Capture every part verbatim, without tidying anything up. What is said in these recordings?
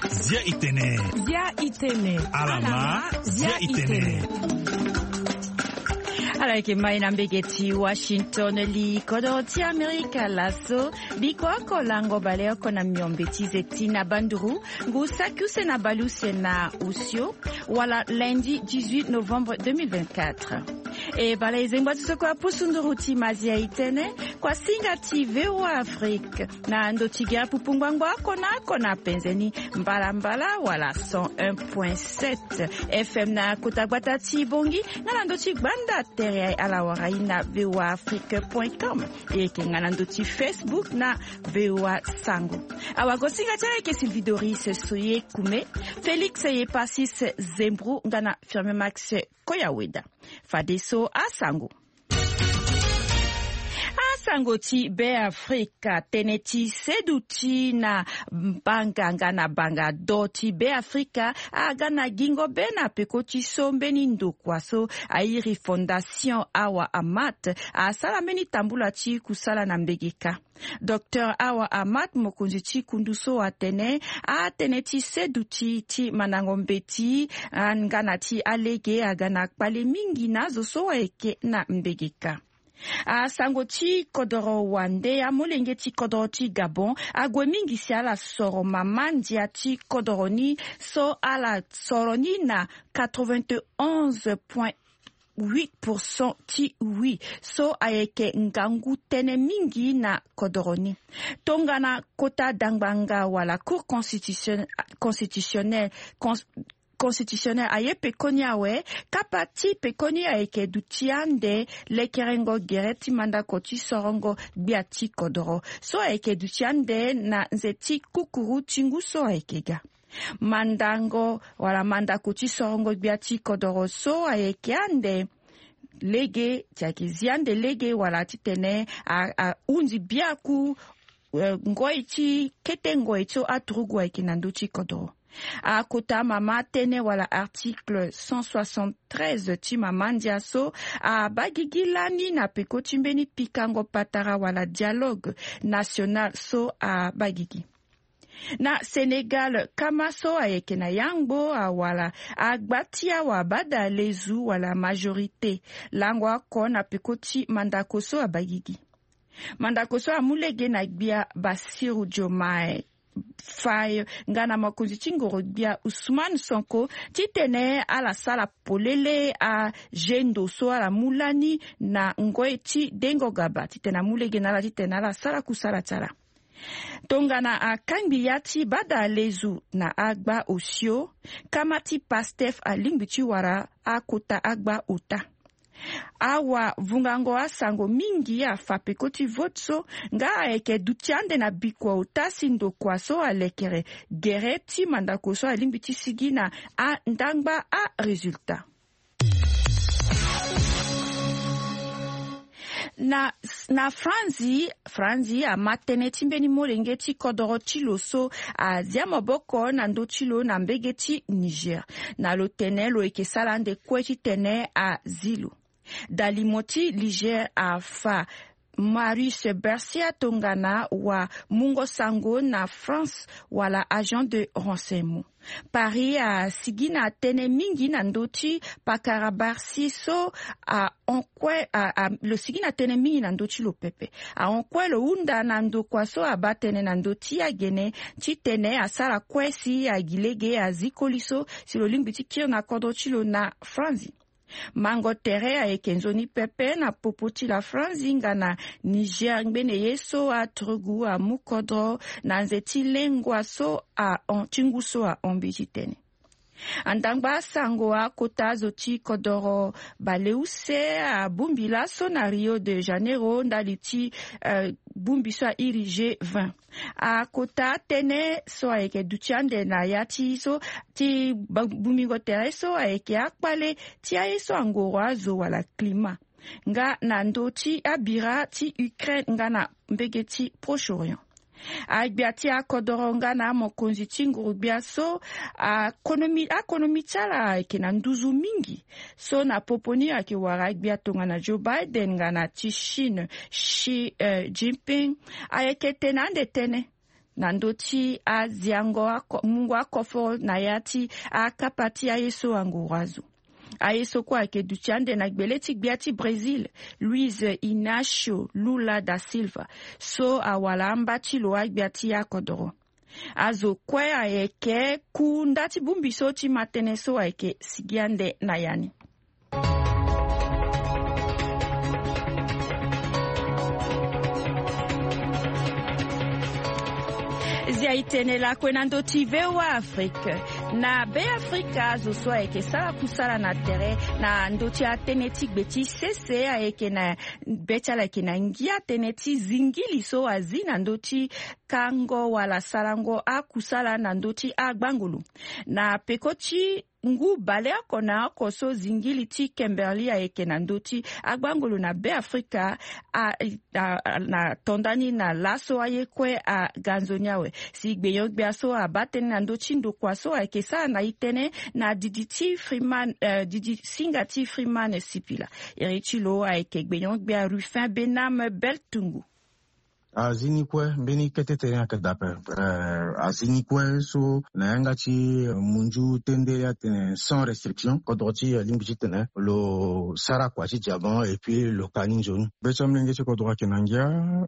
Zia itene. Zia itene. Alama. Zia itene. Ala yeke mai na mbege ti Washington, li kodoro ti Amerika laso. Biko oko lango baleoko na miombe ti zeti na banduru, ngu saki use na baleuse na osio, wala lundi dix-huit novembre deux mille vingt-quatre. E bala e zengba ti so kue apusu nduru ti mazia itene, kuasinga ti VOA Afrique na ndo ti gere pupu ngbangbo oko na oko na penze ni, mbalambala wala cent un point sept FM na kota gbata ti Bongi, nga na ndo ti gbanda tere ala wara ye na VOA Afrique point com. E yeke nga na ndo ti Facebook na VOA Sango. Awagosinga ti ala yeke Sylvie Doris Soye Kume, Félix Yepasis Zembro nga na Firme Max Koyaweda. Fadeso asango. Asango ti Beafrika, tënë ti seduti na banga nga na banga do ti Beafrika aga na gingo be na peko ti so mbeni ndokua so airi Fondation Awa Amat asara mbeni tambula ti kusala na mbegeka. Docteur Awa Amat, mokonzi ti kundu so atene, atene ti seduti ti mandango mbeti, ah, nga na ti alege aga na kpale mingi na azo so ayeke na mbegeka. Asango ti kodoro wande, amolenge ti kodoro ti Gabon ague mingi si ala soro mama ndia ti kodoro ni so ala soro ni na quatre-vingt-onze point huit pour cent ti oui, so ayeke ngangu tënë mingi na kodoro ni. Tongana kota dangbanga wala Cour constitution-, constitutionnelle, cons-, constitutionnelle aye pekoni awe, kapa ti pekoni ayeke duti ande lekerengo gere ti mandako ti sorongo gbia ti kodoro so ayeke duti ande na nze ti kukuru ti ngu so ayeke ga. Mandango wala mandako ti sorongo gbia ti kodoro so ayeke ande lege, ti ayeke zi ande lege wala titene a, ahunzi biaku, eh, ngoi ti kete ngoi so aturugu ayeke na ndö ti kodoro. Akota mama tënë wala article cent soixante-treize ti mama ndia so abaa gigi lani na peko ti mbeni pikango patara wala dialogue national so abaa gigi. Na Sénégal, kama so ayeke na yangbo awala agba ti awa bada lezu wala majorité lango oko na peko ti mandako so abaa gigi. Mandako so amu lege na gbia Bassirou Diomaye Faye nga na mokonzi ti ngoro-gbia Ousmane Sonko titene ala sara polele azendo so ala mu lani na ngoi ti dengo gaba titene amu lege na ala titene ala sara kusala ti ala. Tongana akangbi ya ti bada lezu na agba osio, kama ti Pastef alingbi ti wara akota agba ota. Awa vungango asango mingi afa peko ti vote so, nga ayeke duti ande na bikua ota si ndokua so alekere gere ti mandako so alingbi ti sigi na andangba aresultat. Na, na Franzi, Franzi ama tënë ti mbeni molenge ti kodoro ti lo so azia maboko na ndö ti lo na mbege ti Niger. Na lo tene lo yeke sara ande kue titene azi lo. Dalimo ti Niger afa Marius Bercia tongana wamungo sango na France wala agent de renseignement. Paris asigi na tënë mingi na ndö ti pakara Bercy so ahon kue, a, a, lo sigi na tënë mingi na ndö ti lo pepe. Ahon kue lo hunda na ndokua so abaa tënë na ndö ti agene titene asara kue si agi lege azi koli so si lo lingbi ti kiri na kodro ti lo na Franzi. Mango tere ayeke nzoni pepe na popo ti la Franzi nga na Niger ngbene ye so aturugu amu kodro na nze ti lengua so ahon, ti ngu so ahon mbi titene. Andangba asango akota azo ti kodoro baleuse abongbi laso na Rio de Janeiro ndali ti, eh, bongbi so airi G vingt. Akota atënë so ayeke duti ande na ya ti so ti ba-, bongbingo tere so ayeke akpale ti aye so angoro azo wala climat. Nga na ndö ti abira ti Ukraine nga na mbege ti Proche-Orient. Agbia ti akodoro nga na amokonzi ti nguru-gbia so, akonomi, akonomi ti ala ayeke na nduzu mingi. So na popo ni ayeke wara agbia tongana Joe Biden nga na ti Chine, Xi, eh, Jinping, ayeke tene ande tënë. na ndö ti aziango ako- mungo akoforo na ya ti akapa ti aye so anguru azo. Aye so kue ayeke duti ande na gbele ti gbia ti Brésil, Luiz Inácio Lula da Silva, so awala amba ti lo agbia ti akodoro. Azo kue ayeke ku nda ti bongbi so ti ma tënë so ayeke sigi ande na ya ni. Zia e tene lakue na ndö ti V O A Afrique. Na Beafrika, azo so ayeke sara kusala na tere na ndö ti atënë ti gbe ti sese ayeke na be ti ala ayeke na ngia tënë ti zingili so azi na ndö ti kango wala sarango akusala na ndö ti agbangolo. Na peko ti ngu baleoko na oko so zingili ti Kimberley ayeke na ndö ti agbangolo na Beafrika, a- a- na to ndani na laso aye kue aga nzoni awe. Si gbenyo-gbia so abaa tënë na ndö ti ndokua so ayeke sara na e tënë na didi ti Freeman, eh, didi singa ti Freeman Sipila. Iri ti lo ayeke gbenyo-gbia Ruffin Bename Beltungu. Azi ni kue mbeni kete tere ayeke daa ape. Eh, azi ni kue so na yanga ti, eh, munzu tendele atene sans restriction, kodro ti, eh, lingbi titene lo sara kua ti diamant et puis lo ka ni nzoni. Be ti amolenge ti kodro ayeke na ngia,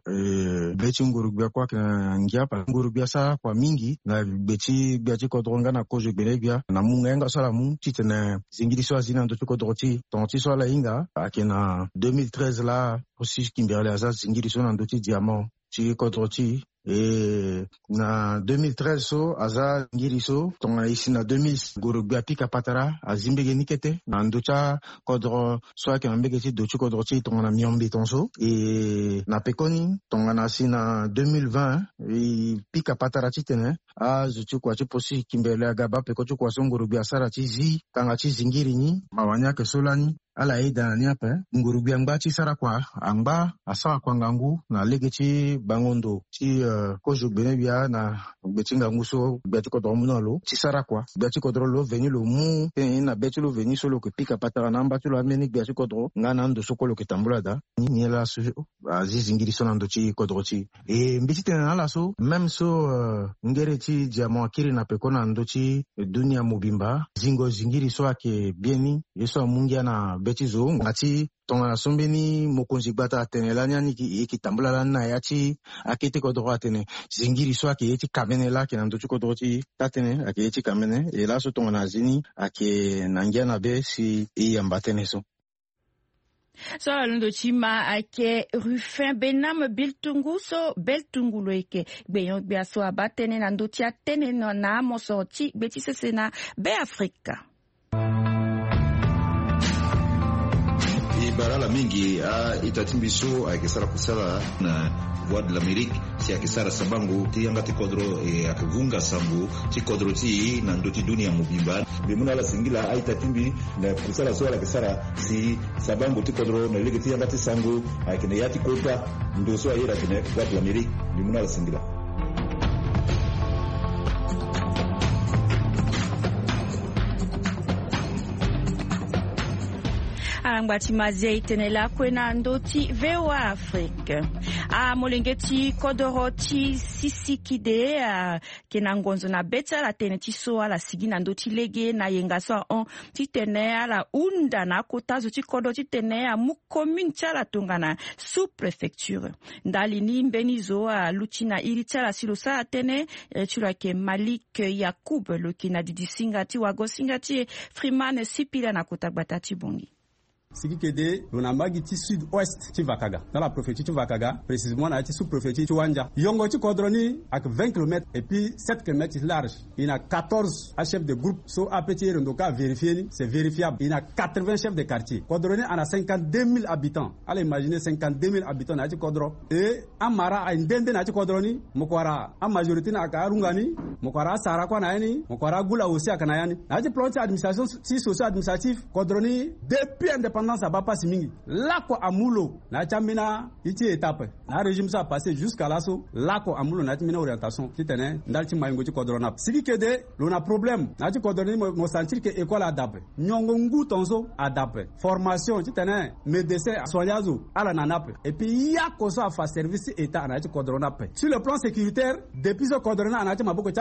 eh, be ti nguru-gbia kue ayeke na ngia parce que nguru-gbia asara kua mingi na gbe ti gbia ti kodro nga na kozo gbene-gbia na mu nga yanga so ala mu titene zingiri so azi na ndö ti kodro ti e. Tonga ti so ala hinga ayeke na deux mille treize laa. Aussi Kimberley aza zingiri so na ndö ti diamant ti kodro ti e. E na deux mille treize so aza ngiri so tongana e si na deux mille, ngoro-gbia pika patara azi mbege ni kete na ndö ti akodro so ayeke na mbege ti do ti kodro ti e tongana miombe tongaso. E na pekoni tongana si na deux mille vingt e pika patara titene azo ti kua ti posi Kimberley aga baa peko ti kua so ngoro-gbia asara ti zi kanga ti zingiri ni. Mawa ni ayeke so lani. Ala yeda na ni ape. Nguru-gbia angba ti sara kua, angba asara kua ngangu na lege ti bango ndo ti, eh, kozo gbene-gbia na gbe ti ngangu so gbia ti kodro amu na lo ti sara kua. Gbia ti kodro lo veni lo mu tënë ni na be ti lo veni so lo yeke pika patara na amba ti lo ambeni gbia ti kodro nga na ando so kue lo yeke tambula daa. Ni, ni laso azi zingiri so na ndö ti kodro ti e. E mbi ti tene na ala so même so, eh, ngere ti diamant akiri na peko na ndö ti dunia mobimba, zingo zingiri so ayeke bien ni. Ye so amu ngia na be ti zo nga ti tongana so mbeni mokonzi gbata atene lani ani e yeke tambula lani na ya ti akete kodro atene zingiri so ayeke ye ti kamene laa ayeke na ndö ti kodro ti e. Taa-tënë ayeke ye ti kamene. E laso tongana azi ni ayeke na ngia na be si e yamba tënë so. So ala londo ti ma ayeke Ruffin Bename Biltungu so Beltungu lo yeke gbenyo-gbia so abaa tënë na ndö ti atënë na, na amosoro ti gbe ti sese na Beafrika. E bara ala mingi a-ita ti mbi so ayeke sara kusala na Voix de l'Amérique. Si ayeke sara sabango ti yanga ti kodro, e ayeke vunga sango ti kodro ti e na ndö ti dunia mobimba. Mbi mu na ala singila a-ita ti mbi na kusala so ala yeke sara si sabango ti kodro na lege ti yanga ti sango ayeke na ya ti kota ndo so ayeke na Voix de l'Amérique. Mbi mu na ala singila. Ala ngba ti ma zia e tene lakue na ndö ti V O A Afrique. Amolenge ti kodoro ti Sisikide ayeke na ngonzo na be ti ala tënë ti so ala sigi na ndö ti lege na yenga so ahon titene ala hunda na akota zo ti kodro titene amu commune ti ala tongana sous-préfecture. Ndali ni mbeni zo aluti na iri ti ala si lo sara tënë. Iri ti lo ayeke Malik Yacoub, lo yeke na didi singa ti wago singa ti e Freeman Sipila na kota gbata ti Bangui. Sikikede lo na mbage ti sud-ouest ti Vakaga, dans la préfecture ti Vakaga, précisément na ya ti sous-préfecture ti Wandia. Yongo ti kodro ni ayeke vingt kilomètres et puis sept kilomètres ti large. E na quatorze achef de groupe so ape ti e londo ka vérifier ni, c'est vérifiable. E na quatre-vingts chefs de quartier. Kodro ni ana cinquante-deux mille habitants. Ala imaginer cinquante-deux mille habitants na ya ti kodro. E amara aye nde nde na ya ti kodro ni. Mo ko wara amajorité ni ayeke arunga ni. Mo ko wara asara kue na ya ni. Mo ko wara agula aussi ayeke na ya ni. Na ya ti plan ti administration ti socio administratif, kodro ni depuis indépendance Tendance abaa pasi mingi. Lako amu lo na ya ti ambeni iti étape na arégime so apassé jusqu'à laso. Lako amu lo na ya ti mbeni orientation titene ndali ti mayingo ti kodro ni ape. Sigi kede lo na problème na ya ti kodro ni, mo sentir ke école ada ape, nyongo ngu tongaso ada ape, formation titene médecin asoigner azo ala na ni ape. Et puis yako so afa service ti état na ya ti kodro ni ape. Sur le plan sécuritaire, depuis so kodro ni ana ya ti maboko ti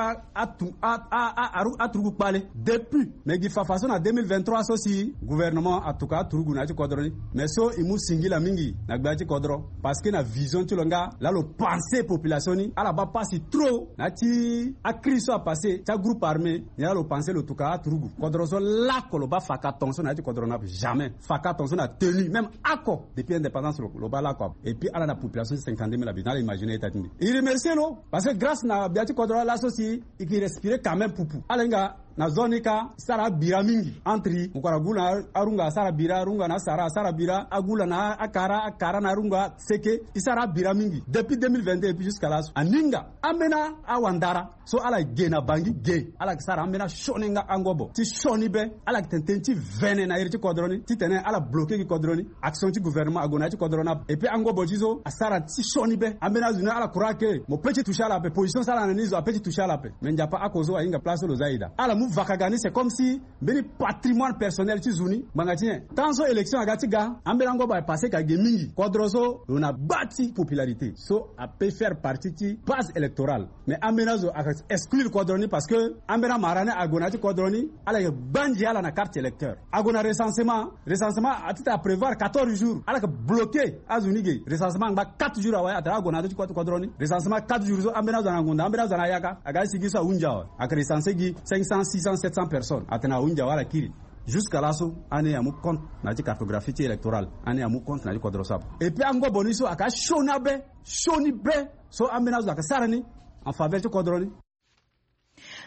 aturugu kpale depuis me gi fafa so na deux mille vingt-trois so si gouvernement atuka aturugu na ya ti kodro ni. Mais so e mu singila mingi na gbia ti kodro, parce que na vision ti lo nga laa lo pensé population ni. Ala baa pasi trop na ya ti akrise so apassé ti agroupe armé. Ni laa lo pensé lo tuka aturugu kodro so lako lo baa faka tongaso na ya ti kodro ni ape. Jamais faka tongaso na tenue même ako depuis indépendance lo baa lako ape. Et puis ala na population ti cinquante-deux mille habitants. Ala imaginer ita ti mbi. E remercier lo parce que grâce na gbia ti kodro laa laso si e ke respirer quand même pupu. Ala hinga na zone ni ka sara abira mingi entre mokoro agu na arunga asara bira, arunga na asara asara bira, agu la na akara, akara na arunga seke. E sara abira mingi depuis deux mille vingt-deux et puis jusqu'à laso. Aninga ambeni awandara so ala ge na bangi ge, ala ke sara ambeni asioni nga angobo ti sioni be. Ala ke tene tënë ti vene na iri ti kodro ni titene ala bloquer gi kodro ni. Action ti gouvernement ague na ya ti kodro ni ape. Et puis angobo ti so asara ti sioni be. Ambeni azo ni ala croire ke mo pe ti toucher ala ape, position so ala na ni zo ape ti toucher ala ape. Mais nzapa ako so ahinga place so lo za ida. Ala mu vakaga ni c'est comme si mbeni patrimoine personnel ti zo ni ngbanga ti nyen. Tant so élection aga ti ga, ambeni angobo apassé ka ge mingi. Kodro so lo na baa ti popularité so ape faire partie ti base électorale. Mais ambeni azo aka exclure kodro ni parce que ambeni amara ni ague na ya ti kodro ni. Ala yeke gbanzi ala na carte électeur. Ague na recensement. Recensement atita aprévoir quatorze jours. Ala yeke bloquer azo ni ge. Recensement angba quatre jours awe atene ague na ya ti kodro ni. Recensement quatre jours so ambeni azo ana ngonda, ambeni azo ana yaka. Aga ti sigi so ahunzi awe. Ayeke recenser gi cinq cents, six cents, sept cents personnes. Atene ahunzi awe ala kiri. Jusqu'à laso ani amu compte na ya ti cartographie ti électorale. Ani amu compte na ya ti kodro so ape. Et puis angobo ni so ayeke asioni abe, sioni be. So ambeni azo ayeke sara ni en faveur ti kodro ni.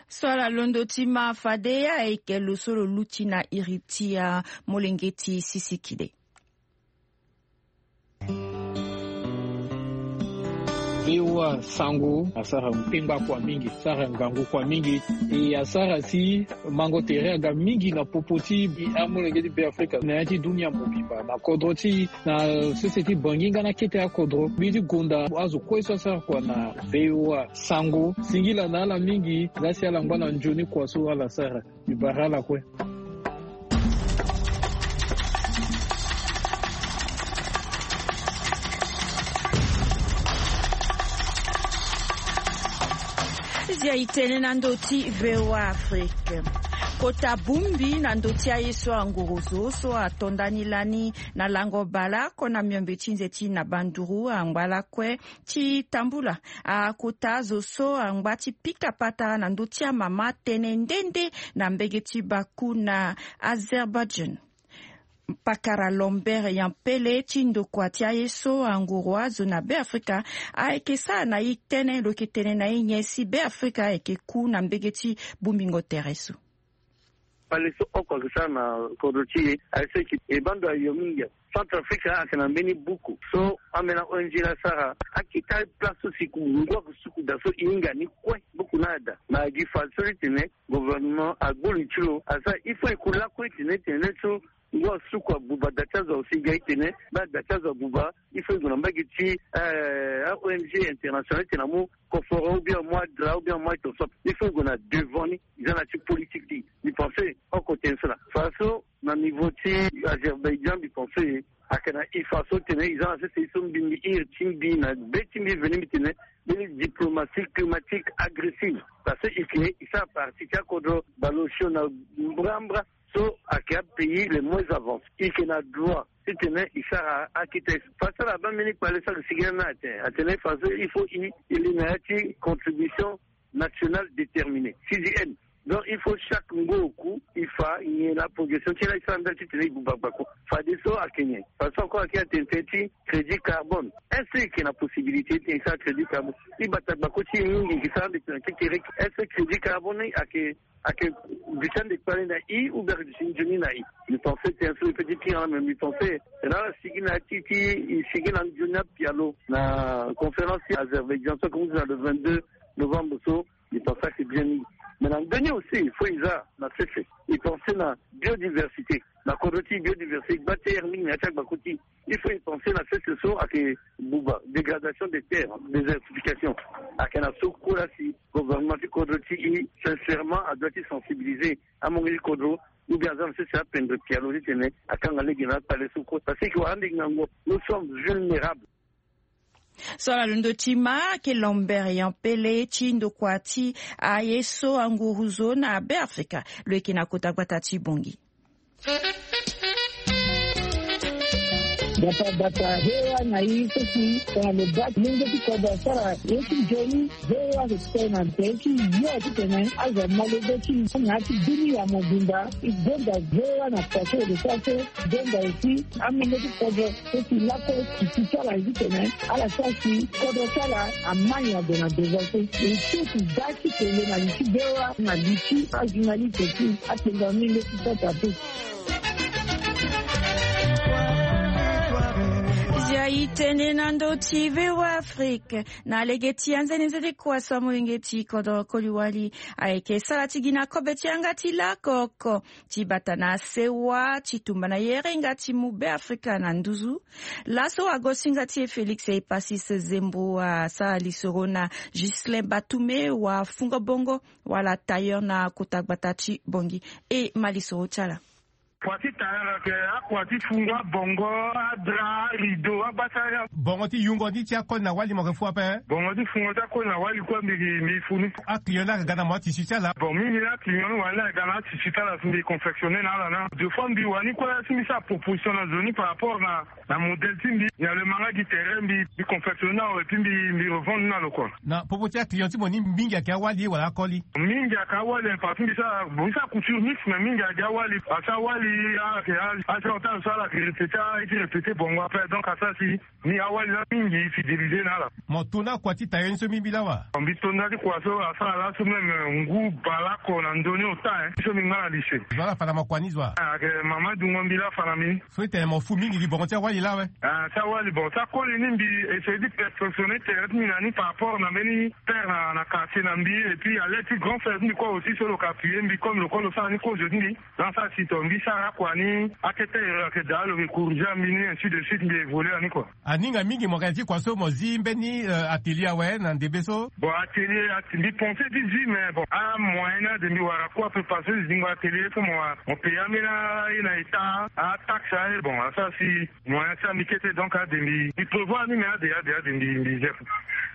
So ala londo ti ma fade ayeke lo so lo luti na iri ti amolenge ti sisikide. Voa sango asara pengba kua mingi, asara ngangu kua mingi. E asara si mango tere aga mingi na popo ti amolenge ti Beafrika na ya ti dunia mobimba na kodro ti na sese ti bangi nga na kete akodro mbi ti gonda azo kue so asara kua na voa sango. Singila na ala mingi. Nga si ala ngba na nzoni kua so ala sara. Mbi bara ala kue. Zia itene na ndo ti voa afrique. Kota bumbi na ndo ti aye so angorozo so atondani lani na lango bala ko na miombe ti nze ti na banduru angba lakue ti tambula akota azo so angba ti pika patara na ndo ti amama tene nde nde na mbege ti baku na azerbaijan. Pakara lombert yampele ti ndokua ti aye so anguru azo na beafrika ayeke sara na e tënë lo yeke tene na e nyen si beafrika ayeke ku na mbege ti bongbingo tere so. Pale so oko ayeke sara na kodro ti e aye so eke e baa ndo ayo mingi. Centrafrique ayeke na mbeni buku so ambeni a-ong la asara akita place so si ngu ayeke suku daa so e hinga ni kue. Buku ni ada ma gi fa so ti tene gouvernement agbu li ti lo asara il faut e ku lakue ti tene tene so ngu asuku abuba da ti azo si ga e tene baa da ti azo abuba. Il faut e gue na mbage ti a-ong international ti tene amu koforo ou bien amu adra ou bien amu aye tonso ape. Il faut e gue na devant ni. E za na ti politique ti e. Mbi pense oko tene so laa fa so na niveau ti azerbaijan mbi pense ayeke na e fa so tene e za na sese e so mbi mbi iri ti mbi na be ti mbi veni mbi tene mbeni diplomatie climatique agressive. Parce que e ke e sara partie ti akodro baleosio na mbrambra so ayeke apays les moins avancés. E ke na droit ti tene e sara akete fa so ala baa mbeni kpale so ayeke sigi na ni atene atene fa so il faut e e li na ya ti contribution nationale déterminée cdn. Donc il faut chaque ngu oku e fa nyen la progression ti la e sara ndali ti tene e buba gbako. Fadeso ayeke nyen? Fadeso encore ayeke atene tënë ti crédit carbone. Est-ce que e yeke na possibilité ti tene e sara crédit carbone? E bata gbako ti e mingi e ke sara ande tene kekereke. Est-ce que crédit carbone ni ayeke ayeke duti ande kpale na e ou bien ayeke duti nzoni na e? Mbi pense tene so e peut ti kiri na me mbi pense tene ala sigi na ya ti ti e sigi na nzoni apialo na conférence ti azerbaijan so ayeke mu ti na le vingt-deux novembre so. Mbi pense ayeke bien mingi. Mais na ndeni aussi il faut eza na sese, il pense na biodiversité, na kodro ti biodiversité gba ti air mingi na ya ti agbako ti. Il faut il pense na sese so ayeke buba dégradation des terres, désertification. Ayeke na so kue la si gouvernement ti kodro ti i sincèrement adoit ti sensibiliser amonge ti kodro, ou bien aza na sese apendre pialo titene akanga lege na akpale so kue parce que wara ande ngango. Nous sommes vulnérables. So ala londo ti ma ake Lambert Yampele ti ndokua ti aye so anguru zo na Beafrika lo yeke na kota gbata ti Bongi. Bata bata hewa na i soki tongana lo baa ti lenge ti kodro asara ye ti nzoni. Hewa ake kpe na nze ti yo titene azo malege ti na ya ti bini ya mobimba. E gonda hewa na pase ode so ase. Gonda aussi amenge ti kodro so si lako ti ti ti ala zi tene ala sara si kodro ti ala amai ado na devance. E so ti da ti kele na li ti bewa na li ti ajournaliste ti akpengba mingi ti sota te. Zia e tene na ndö ti V O A Afrique na lege ti anzenenzene kua so amolenge ti kodro koli wali ayeke sara ti gi na kobe ti yanga ti lako oko ti bata na sewa ti tumba na yere nga ti mu Beafrika na nduzu. Laso wagosinga ti e Félix Epasis Zembo asara lisoro na Ghislain Batume, wafungo bongo wala tailleur na kota gbata ti Bongi. E ma lisoro ti ala. Kua ti tailleur ayeke akua ti fungo abongo, adra, arideau, abasara. Bongo ti yungo ni ti akoli na wali mo yeke fu ape. Bongo ti fungo ti akoli na wali kue mbi mbi fu ni. Aclient ni ayeke ga na mo atisi ti ala. Bon, mingi ni aclient ni wani ayeke ga na atisi ti ala si mbi confectionner na ala na. Deux fois mbi wani kue si mbi sara proposition na zo ni par rapport na na modèle ti mbi. Nyen lo ma nga gi tere mbi mbi confectionner na lo et puis mbi mbi revendre ni na lo kua. Na popo ti aclient ti mo ni mingi ayeke awali wala akoli? Mingi ayeke awali, parce que mbi sara bon mbi sara couture mixte mais mingi ayeke awali parce que awali ayeke agenre ti ala so ala yeke répéter aye ti répéter bongo ape, donc asara si ni awali laa mingi e fidéliser na ala. Mo to na kua ti tailleur ni so mbi mbi laa wa? Mbi to nda ti kua so asara laso même ngu baleoko na ndö ni ota, hein, so mbi nga na lycée. Zo ala fa na mo kua ni zo wa? Ayeke mama dungo mbi laa fa na mbi. So e tene mo fu mingi gi bongo ti awali laa awe? Ah, ti awali bon ti akoli ni mbi essayer ti perfectionner tere ti mbi na ni par rapport na mbeni père na na quartier na mbi et puis à l'aide ti grand frère ti mbi kue aussi so lo yeke appuyer mbi comme lo kue lo sara ni kozo ti mbi. Dans sa si to mbi sara akua ni akete ere ayeke daa lo yeke corriger mbi ni ainsi de suite mbi évoluer na ni kua. Aninga mingi mo yeke na ti kua so mo zi mbeni euh, atelier awe na ndembe so? Bon atelier ati mbi pense ti zi mais bon amoyen ni ade mbi wara kue ape parce que zingo atelier so mo wara mo payer ambeni aye na état ataxe aye bon asara si moyen ti ami kete donc ade mbi mbi prévoir ni mais ade ade ade mbi mbi zia.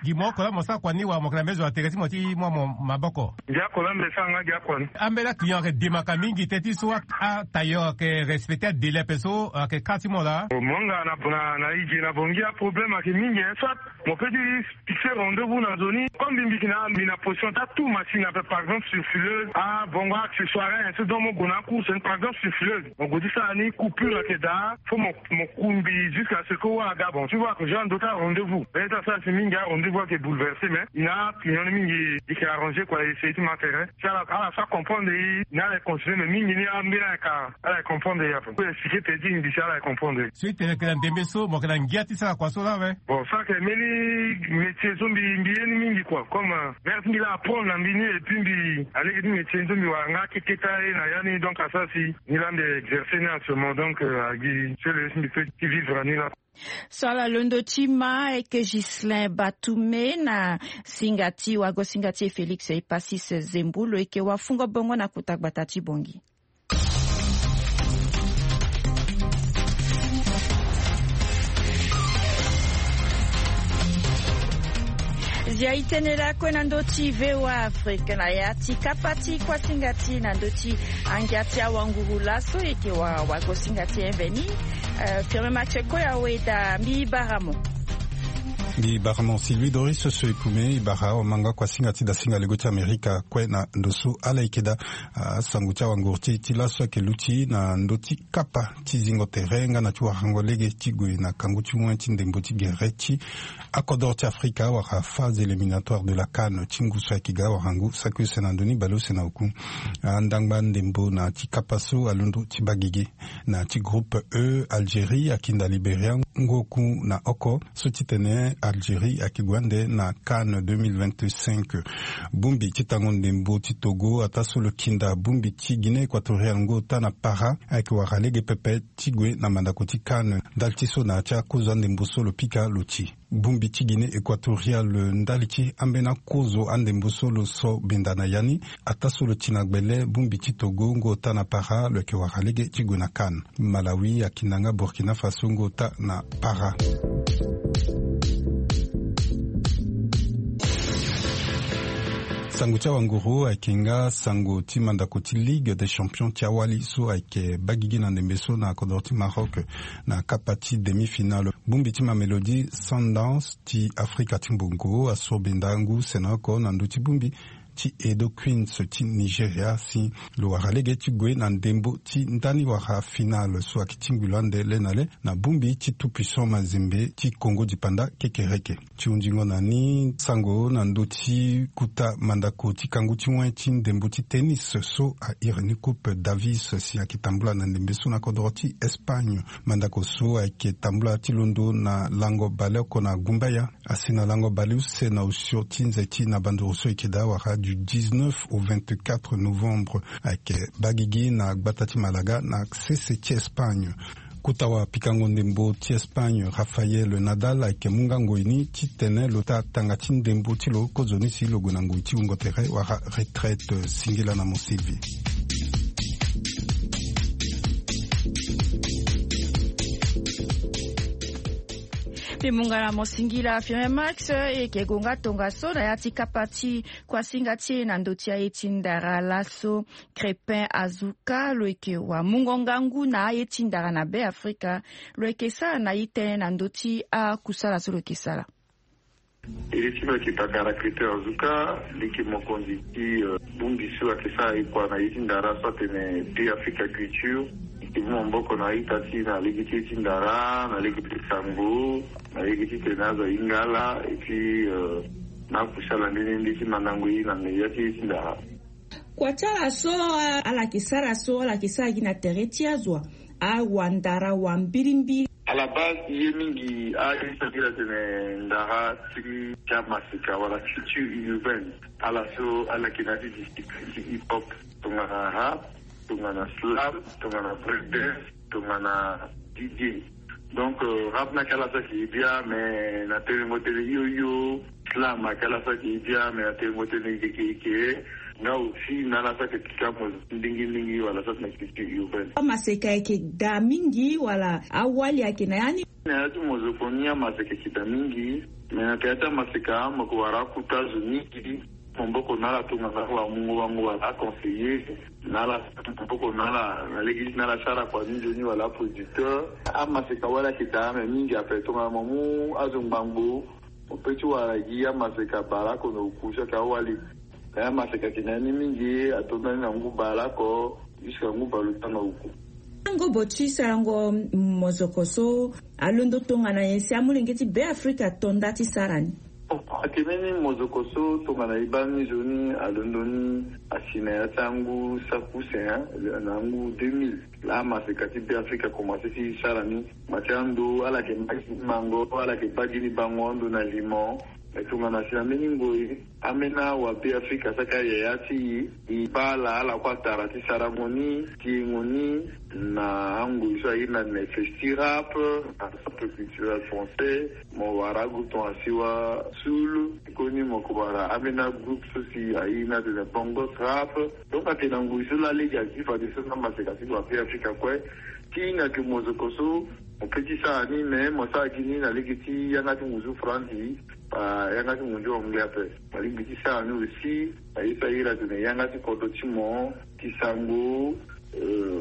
Gi mo oko laa mo sara kua ni wala mo yeke na mbeni zo na tere ti mo ti mu amo maboko? Ndia kola mbe sanga gi akua ni. Ambeni aclient ayeke demaka mingi teti so atailleur ayeke respecter adélai ape so ayeke kâ ti mo laa? Mo nga na na na ige na bongi aproblème ayeke mingi hein soit mo pe ti fixer rendez-vous na zo ni comme mbi mbi yeke na mbi na position ti atu machine ape par exemple sur fileuse abongo accessoire hein so donc mo gue na acourse ni par exemple sur fileuse mo gue ti sara ni coupure ayeke daa. Faut mo mo ku mbi jusqu'à ce que wa aga bon tu vois que genre ndota rendez-vous. Bene ti asara si mingi arendez-vous ayeke bouleversé mais i na apinion ni mingi i yeke arrangé kua essayer ti ma tere si ala ala so acomprendre i na ala yeke continué mais mingi ni ambeni ala yeke ala yeke comprendre i ape. Expliqué pe ti mbi si ala yeke comprendre i. So i tene yeke na ndembe so mo yeke na ngia ti sara kua so laa awe? Bon so ayeke mbeni métier so mbi mbi ye ni mingi kua comme mère ti mbi laa apprendre na mbi ni et puis mbi alege ti métier ni so mbi wara nga akeketa ye na ya ni donc asara si ni laa mbi exercer ni actuellement donc agi sele si mbi pe ti vivre na ni laa. So ala londo ti ma ayeke Ghislain Batume na singa ti wago singa ti e Félix Epasis Zembu lo yeke wafungo bongo na kota gbata ti Bongi. Zia i tene lakue na ndö ti V O A Afrique na ya ti kapa ti kuasinga ti na ndö ti angia ti awanguru laso e yeke wa wago singa ti e mveni. Euh, firme match kue awe daa mbi bara mo. Mbi bara mo si Louis Doris so e pume e bara awa manga kuasinga ti dasinga lego ti Amerika kue na ndo so ala yeke daa. Ah, sango ti awanguru ti e ti laso ayeke luti na ndö ti kapa ti zingo tere nga na ti warango lege ti gue na kangu ti moin ti ndembo ti gere ti akodor ti Afrika wala phase éliminatoire de la CAN ti ngu so ayeke ga warangu saki use na ndö ni baleuse na oku. Andangba ndembo na ti kapa so alondo ti baa gigi na ti groupe E, Algérie akinda Libéria. Ngoku na oko so titene Algérie ayeke gue ande na CAN deux mille vingt-cinq. Bongbi ti tango ndembo ti Togo ataa so lo kinda bongbi ti Guinée Équatoriale ngu ota na para ayeke wara lege pepe ti gue na mandako ti CAN. Ndali ti so na ya ti akozo andembo so lo pika lo ti bongbi ti Guinée Équatoriale ndali ti ambeni akozo andembo so lo so benda na ya ni. Ataa so lo ti na gbele bongbi ti Togo ngu ota na para lo yeke wara lege ti gue na CAN. Malawi akinda nga Burkina Faso ngu ota na para. Sango ti awanguru ayeke nga sango ti mandako ti Ligue des Champions ti awali so ayeke baa gigi na ndembe so na kodro ti Maroc na kapa ti demi-finale. Bongbi ti Mamelodi Sundowns ti Afrika ti mbongo asoro benda ngu use na oko na ndö ti bongbi ti Edo Queens ti Nigeria si lo wara lege ti gue na ndembo ti ndani wara finale so ayeke tingbi lo ande le na le na bongbi ti Tout Puissant Mazembe ti Congo Dipanda kekereke. Ti hunzingo na ni sango na ndö ti kota mandako ti kangu ti wen ti ndembo ti tennis so a iri ni Coupe Davis si ayeke tambula na ndembe so na kodro ti Espagne. Mandako so ayeke tambula ti londo na lango baleoko na gumbaya asi na lango baleuse na osio ti nze ti na banduru so eke daa wara du dix-neuf au vingt-quatre novembre. Ayeke baa gigi na gbata ti Malaga na sese ti Espagne. Kota wapikango ndembo ti Espagne Rafael Nadal ayeke mu nga ngoi ni titene lo taa tanga ti ndembo ti lo kozoni si lo gue na ngoi ti wungo tere wala retraite. Singila na mo Sylvie. Mbi mu nga na mo singila Firme Max. E yeke gue nga tongaso na ya ti kapa ti kuasinga ti e na ndö ti aye ti ndara laso. Crépin Azuka lo yeke wamungo ngangu na aye ti ndara na Be Afrika. Lo yeke sara na ye tënë na ndö ti akusala so lo yeke sara. Iri ti lo yeke Takara Crépin Azuka, li yeke mokonzi ti bongbi so ayeke sara ekua na ye ti ndara so atene Be Africa Culture. E yeke mu maboko na a-ita ti e na lege ti ye ti ndara, na lege ti sango, na lege titene azo ahinga ala, et puis na akusala nde nde ti mandango ye na meya ti ye ti ndara. Kua ti ala so ala yeke sara so ala yeke sara gi na tere ti azo, awandara wambirimbiri. À la base ye mingi aye so ayeke iri atene ndara ti ti amaseka wala culture urbaine. Ala so ala yeke na ya ti discipline ti hip hop, tongana rap, tongana slam, tongana breakdance, tongana D J. Donc rap ni ayeke ala so ayeke ye bia, mais na telengo tënë hio hio, slam ayeke ala so ayeke ye bia, mais na telengo tënë yeke yeke. Nga aussi na ala so ayeke pika mo ndingi ndingi wala so atene culture urbaine. Amaseka ayeke daa mingi wala awali ayeke na ya ni? Na ya ti mozoko ni amaseka ayeke daa mingi. Mais na tere ti amaseka mo yeke wara akota zo mingi. Maboko na ala tongana wamungo wango wala aconseiller. Na ala maboko na ala na lege ti na ala sara kua ni nzoni wala aproducteur. Amaseka wali ayeke daa mais mingi ape tongana mo mu azo ngbangbo, mo pe ti wara gi amaseka bale oko na oku so ayeke awali. Mais amaseka ayeke na ya ni mingi atonda ni na ngu bale oko jusqu'à ngu bale ota na oku. Ngobo ti sarango mozoko so alondo tongana nyen si amolenge ti Be Afrika to nda ti sara ni? Ake mbeni mozoko so tongana e baa ni nzoni alondo ni asi na ya ti angu saki use na angu deux mille. Laa amaseka ti Be Afrika akomanse ti sara ni. Mo ti ando ala yeke baa gi ni mango, ala yeke baa gi ni bango ando na limo. Mais tongana si na mbeni ngoi ambeni awa Be Afrika so ayeke ayaya ti e, e baa ala ala kue atara ti sarango ni, ti yengo ni na angoi so airi na festi rap, na centre culturel français. Mo wara agroupe tongana Siwa Soul, koni mo yeke wara ambeni agroupe so si airi ni atene Bongos Rap. Donc ayeke na ngoi so laa lege azi fadeso na amaseka ti lo aPe Afrika kue. Ti hinga ayeke mozoko so mo pe ti sara ni, mais mo sara gi ni na lege ti yanga ti ngunzu Faranzi, yanga ti ngunzu anglais ape. Mo lingbi ti sara ni aussi na ye so airi atene yanga ti kodro ti mo, ti sango,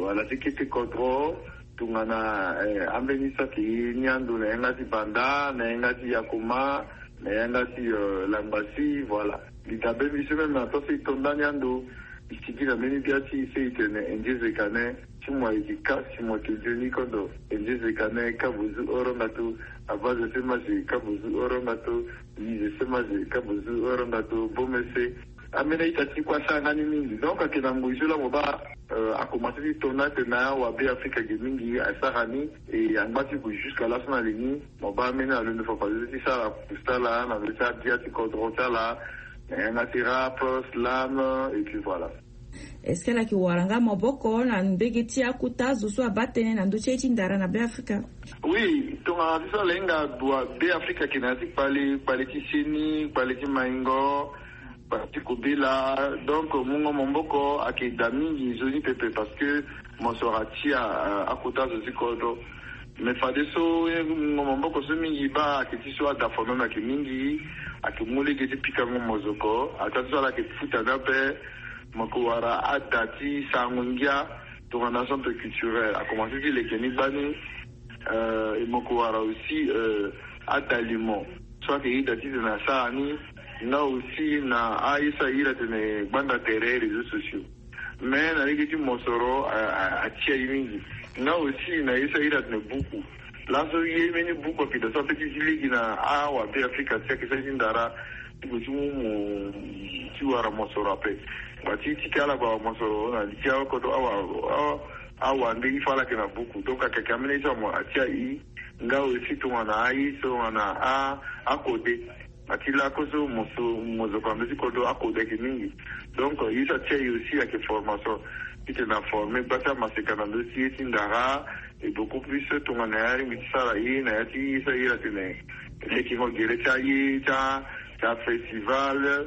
wala ti kete kodro. Tongana ambeni so ayeke ye ni ando na yanga ti Banda, na yanga ti Yakoma, na yanga ti Langbasi, voilà. Mbi dabe mbi so même na taa so e to ndani ando, e sigi na mbeni bia ti e so e tene Indien Zekane, ti mo ayeke ka si mo yeke nzoni kondo. Indien Zekane, ka bozu orongato. Aba Zese Maze, ka bozu orongato. Yi Zese Maze, ka bozu orongato. Bomese. Ambeni a-ita ti e kue asara nga ni mingi. Donc ayeke na ngoi so laa mo baa Akomanse ti to ni atene awabe afrika ge mingi asara ni. E angba ti gue jusque laso na li ni. Mo baa mbeni alondo fafadeso ti sara kusala na ndö ti abia ti kodro ti ala, na yanga ti rap, slam, et puis voilà. Est-ce que ala yeke wara nga maboko na mbege ti akota zo so abaa tënë na ndö ti aye ti ndara na be afrika? Oui, tongana ti so ala hinga dua be afrika ayeke na ya ti kpale, kpale ti seni, kpale ti maingo, kpale ti kobela. Donc mungo maboko ayeke daa mingi nzoni pepe parce que mosoro atia akota zo ti kodro. Mais fadeso mungo maboko so mingi baa ayeke ti so ada fo même ayeke mingi. Ayeke mu lege ti pikango mozoko ata ti so ala yeke futa ni ape. Mo yeke wara ada ti sarango ngia tongana centre culturel akomanse ti leke ni gbani. E mo yeke wara aussi adalimo so ayeke ida titene asara ni. Nga aussi na aye so aye iri atene gbanda tere réseaux sociaux. Mais na lege ti mosoro atia ye mingi. Nga aussi na ye so aye iri atene buku. Laso ye mbeni buku ayeke daa so ape ti zi lege na awabe afrika ti ayeke sara ti ndara ti gue ti mu mo ti wara mosoro ape. Wa ti tiki ala gue awara mosoro na li ti akodro awa awa nde i fa ala yeke na buku donc ayeke ambeni ye so amo atia i. Nga aussi tongana aye so tongana akode. Ati lako so mozoko na ndö ti kodro akode ayeke mingi. Donc ye so atia ye aussi ayeke formation titene aforme gba ti amaseka na ndö ti ye ti ndara. Et beaucoup plus tongana ya alingbi ti sara ye na ya ti ye so aye atene lekengo gere ti aye ti afestival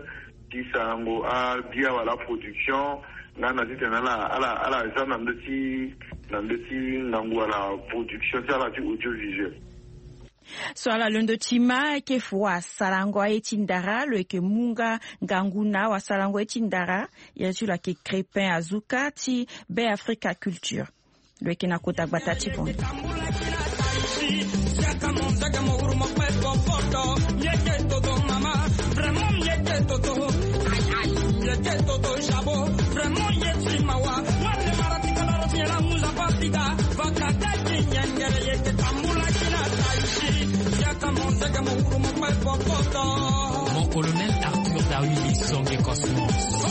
ti sarango abia wala aproduction. Nga na titene ala ala ala za na ndö ti na ndö ti ngangu wala production ti ala ti audiovisuel. So ala londo ti ma ayeke fu asarango aye ti ndara lo yeke mu nga ngangu na awasarango aye ti ndara. Ya ti lo ayeke crépin azuka ti be africa culture. Lo yeke na kota gbata ti bondo. Mon colonel Arthur Dawili Songe Cosmos.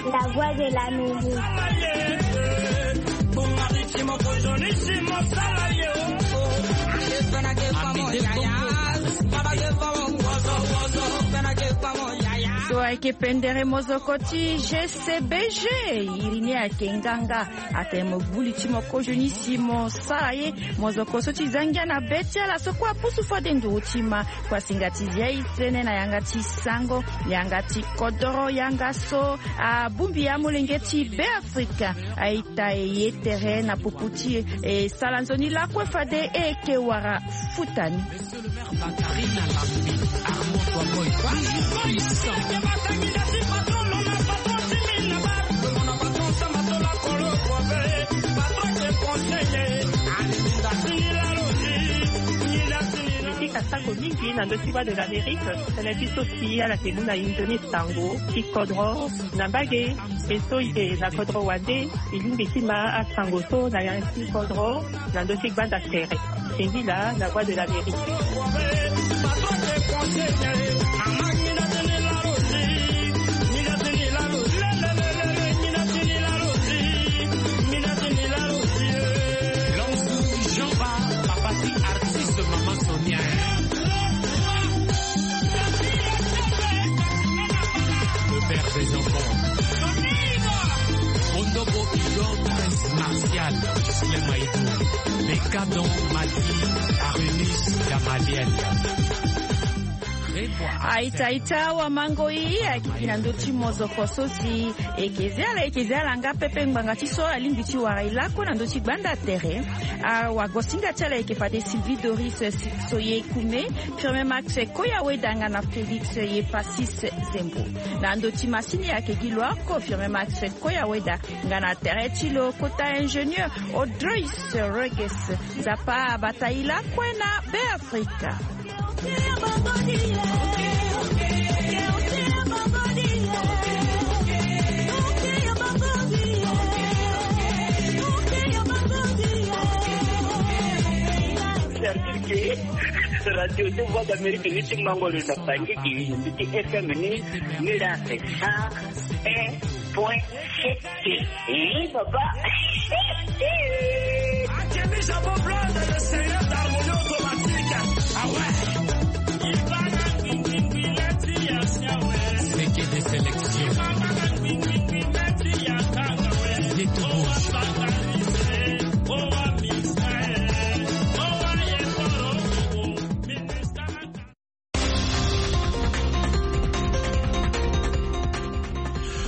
La voix de l'Amérique. So ayeke pendere mozoko ti G C B G. Iri ni ayeke nganga atene mo gbu li ti mo kozoni si mo sara ye. Mozoko so ti za ngia na be ti ala so kue apusu fade nduru ti ma kua singa ti zia e tënë na yanga ti sango, yanga ti kodoro, yanga so abongbi amolenge ti be afrika. Aita e ye tere na popo ti e e sara nzoni lakue fade e yeke wara futa ni. Ti ka sango mingi na ndö ti voix de l'amérique. Tënë ti so si ala yeke mu na inzo ni sango ti kodro na mbage. E so e na kodro wande e lingbi ti ma asango so na ya ti kodro na ndö ti gbanda tere. Singila na voix de l'amérique. Le père des enfants. Ondobo Idon, prince martial, Gislain Maïdou, Decadon, Mati, Arénus, Gamaliel. Aita aita wa mango i ayeke gi na ndö ti mozoko so si eke zi ala eke zi ala nga pepe ngbanga ti so alingbi ti wara e lakue na ndö ti gbanda tere. Awagosinga ti ala eke fade Sylvie Doris Soye Kume, Firmin Max Koya Weda nga na Félix Yepasis Zembo. Na ndo ti masini ayeke gi lo oko Firmin Max Koya Weda nga na tere ti lo kota ingénieur Audreus Reges. Nzapa abata e lakue na Beafrika. Radio de Voix d'Amérique ni ti mango lo na Bangui gi, ni ti F M ni, ni la c'est cent un point sept. Eh, papa. Akemi Jabo Blonde, le seigneur d'harmonie automatique. Ah ouais. Il va la ding ding ding la ti ya sia ouais. C'est que des sélections.